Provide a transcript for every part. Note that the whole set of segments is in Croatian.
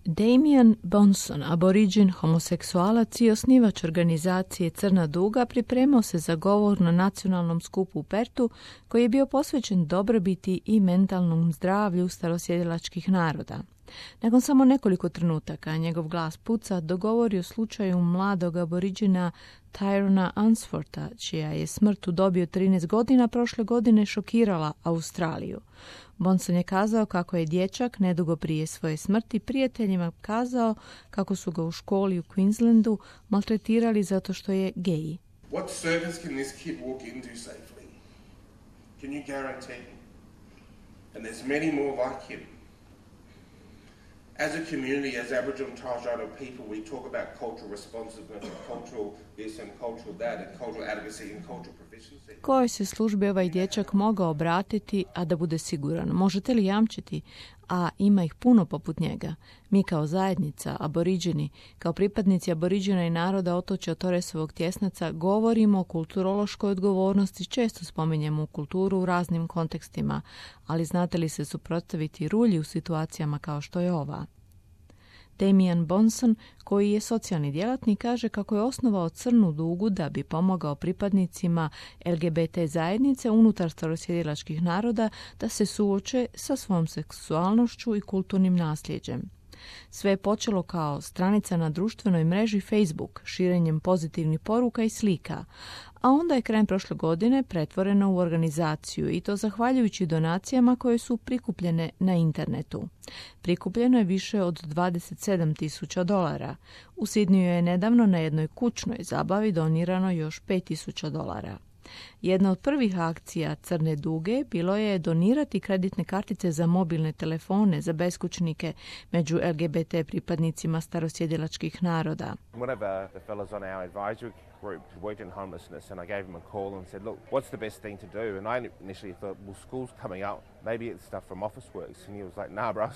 Damian Bonson, aboriđin, homoseksualac i osnivač organizacije Crna duga, pripremao se za govor na nacionalnom skupu u Pertu, koji je bio posvećen dobrobiti i mentalnom zdravlju starosjedilačkih naroda. Nakon samo nekoliko trenutaka njegov glas puca dogovori o slučaju mladog aboriđina Tyrona Unswortha, čija je smrt u dobi od 13 godina prošle godine šokirala Australiju. Bonson je kazao kako je dječak nedugo prije svoje smrti prijateljima kazao kako su ga u školi u Queenslandu maltretirali zato što je gej. What service can this kid walk into safely? Can you guarantee? And there's many more like him. As a community, as Aboriginal and Torres Strait Islander people, we talk about cultural responsiveness and cultural this and cultural that and cultural advocacy and cultural proficiency. Kojoj se službi ovaj dječak mogao obratiti, a da bude siguran? Možete li jamčiti? A ima ih puno poput njega. Mi kao zajednica, aboriđini, kao pripadnici aboriđina i naroda otočja Torresovog tjesnaca govorimo o kulturološkoj odgovornosti, često spominjemo kulturu u raznim kontekstima, ali znate li se suprotstaviti rulji u situacijama kao što je ova? Damian Bonson, koji je socijalni djelatnik, kaže kako je osnovao Crnu dugu da bi pomogao pripadnicima LGBT zajednice unutar starosjedilačkih naroda da se suoče sa svojom seksualnošću i kulturnim nasljeđem. Sve je počelo kao stranica na društvenoj mreži Facebook, širenjem pozitivnih poruka i slika, a onda je krajem prošle godine pretvoreno u organizaciju i to zahvaljujući donacijama koje su prikupljene na internetu. Prikupljeno je više od $27,000. U Sidniju je nedavno na jednoj kućnoj zabavi donirano još $5,000. Jedna od prvih akcija Crne duge bilo je donirati kreditne kartice za mobilne telefone za beskućnike među LGBT pripadnicima starosjedilačkih naroda. One of the fellows on our advisory group worked in homelessness and I gave him a call and said, look, what's the best thing to do? And I initially thought, well, school's coming up. Maybe it's stuff from Officeworks. And he was like, nah, bro,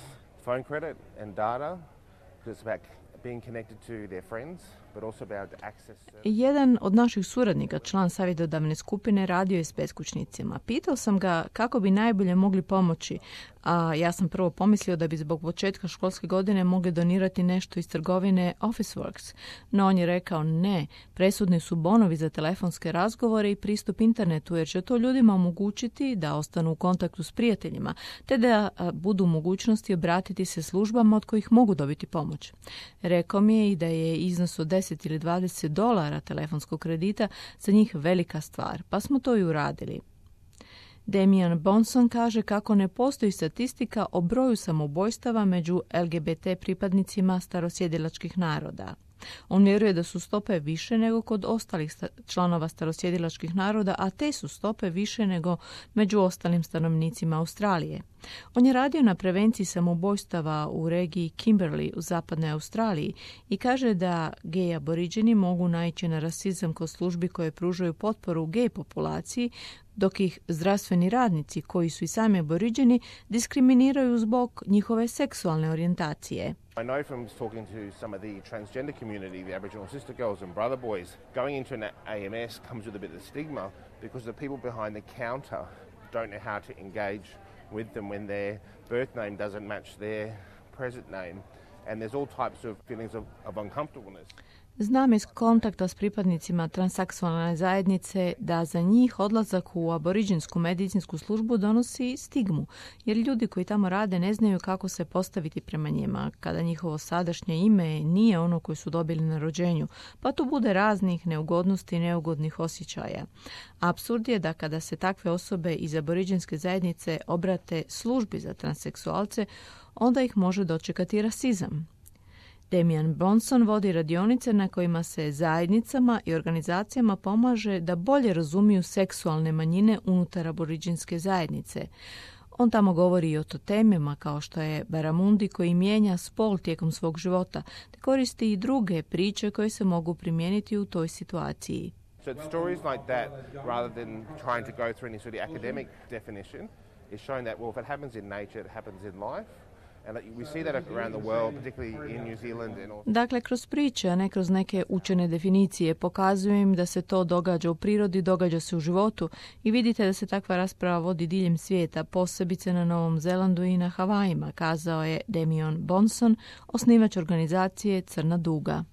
phone credit and data. It's about being connected to their friends, but also about access. Jedan od naših suradnika, član savjetodavne skupine, radio je s beskućnicima. Pitao sam ga kako bi najbolje mogli pomoći, a ja sam prvo pomislio da bi zbog početka školske godine mogli donirati nešto iz trgovine Officeworks, no on je rekao ne, presudni su bonovi za telefonske razgovore i pristup internetu, jer će to ljudima omogućiti da ostanu u kontaktu s prijateljima, te da budu u mogućnosti obratiti se službama od kojih mogu dobiti pomoć. Rekao mi je i da je iznos od $10 ili $20 telefonskog kredita za njih velika stvar, pa smo to i uradili. Damian Bonson kaže kako ne postoji statistika o broju samoubojstava među LGBT pripadnicima starosjedilačkih naroda. On vjeruje da su stope više nego kod ostalih članova starosjedilačkih naroda, a te su stope više nego među ostalim stanovnicima Australije. On je radio na prevenciji samoubojstava u regiji Kimberley u zapadnoj Australiji i kaže da gej aboriđeni mogu naići na rasizam kod službi koje pružaju potporu gej populaciji, dok ih zdravstveni radnici, koji su i sami aboriđeni, diskriminiraju zbog njihove seksualne orijentacije. I know from talking to some of the transgender community, the Aboriginal sister girls and brother boys, going into an AMS comes with a bit of stigma because the people behind the counter don't know how to engage with them when their birth name doesn't match their present name. And there's all types of feelings of uncomfortableness. Znam iz kontakta s pripadnicima transseksualne zajednice da za njih odlazak u aboriđinsku medicinsku službu donosi stigmu, jer ljudi koji tamo rade ne znaju kako se postaviti prema njima, kada njihovo sadašnje ime nije ono koje su dobili na rođenju, pa tu bude raznih neugodnosti i neugodnih osjećaja. Apsurd je da kada se takve osobe iz aboriđinske zajednice obrate službi za transseksualce, onda ih može dočekati rasizam. Damian Bonson vodi radionice na kojima se zajednicama i organizacijama pomaže da bolje razumiju seksualne manjine unutar aboriđinske zajednice. On tamo govori i o temama kao što je baramundi koji mijenja spol tijekom svog života, te koristi i druge priče koje se mogu primijeniti u toj situaciji. So it's stories like that, rather than trying to go through any sort of academic definition, is showing that, well, if it happens in nature, it happens in life. And we see that around the world, particularly in New Zealand. Dakle, kroz priče, a ne kroz neke učene definicije, pokazuje im da se to događa u prirodi, događa se u životu i vidite da se takva rasprava vodi diljem svijeta, posebice na Novom Zelandu i na Havajima, kazao je Damian Bonson, osnivač organizacije Crna duga.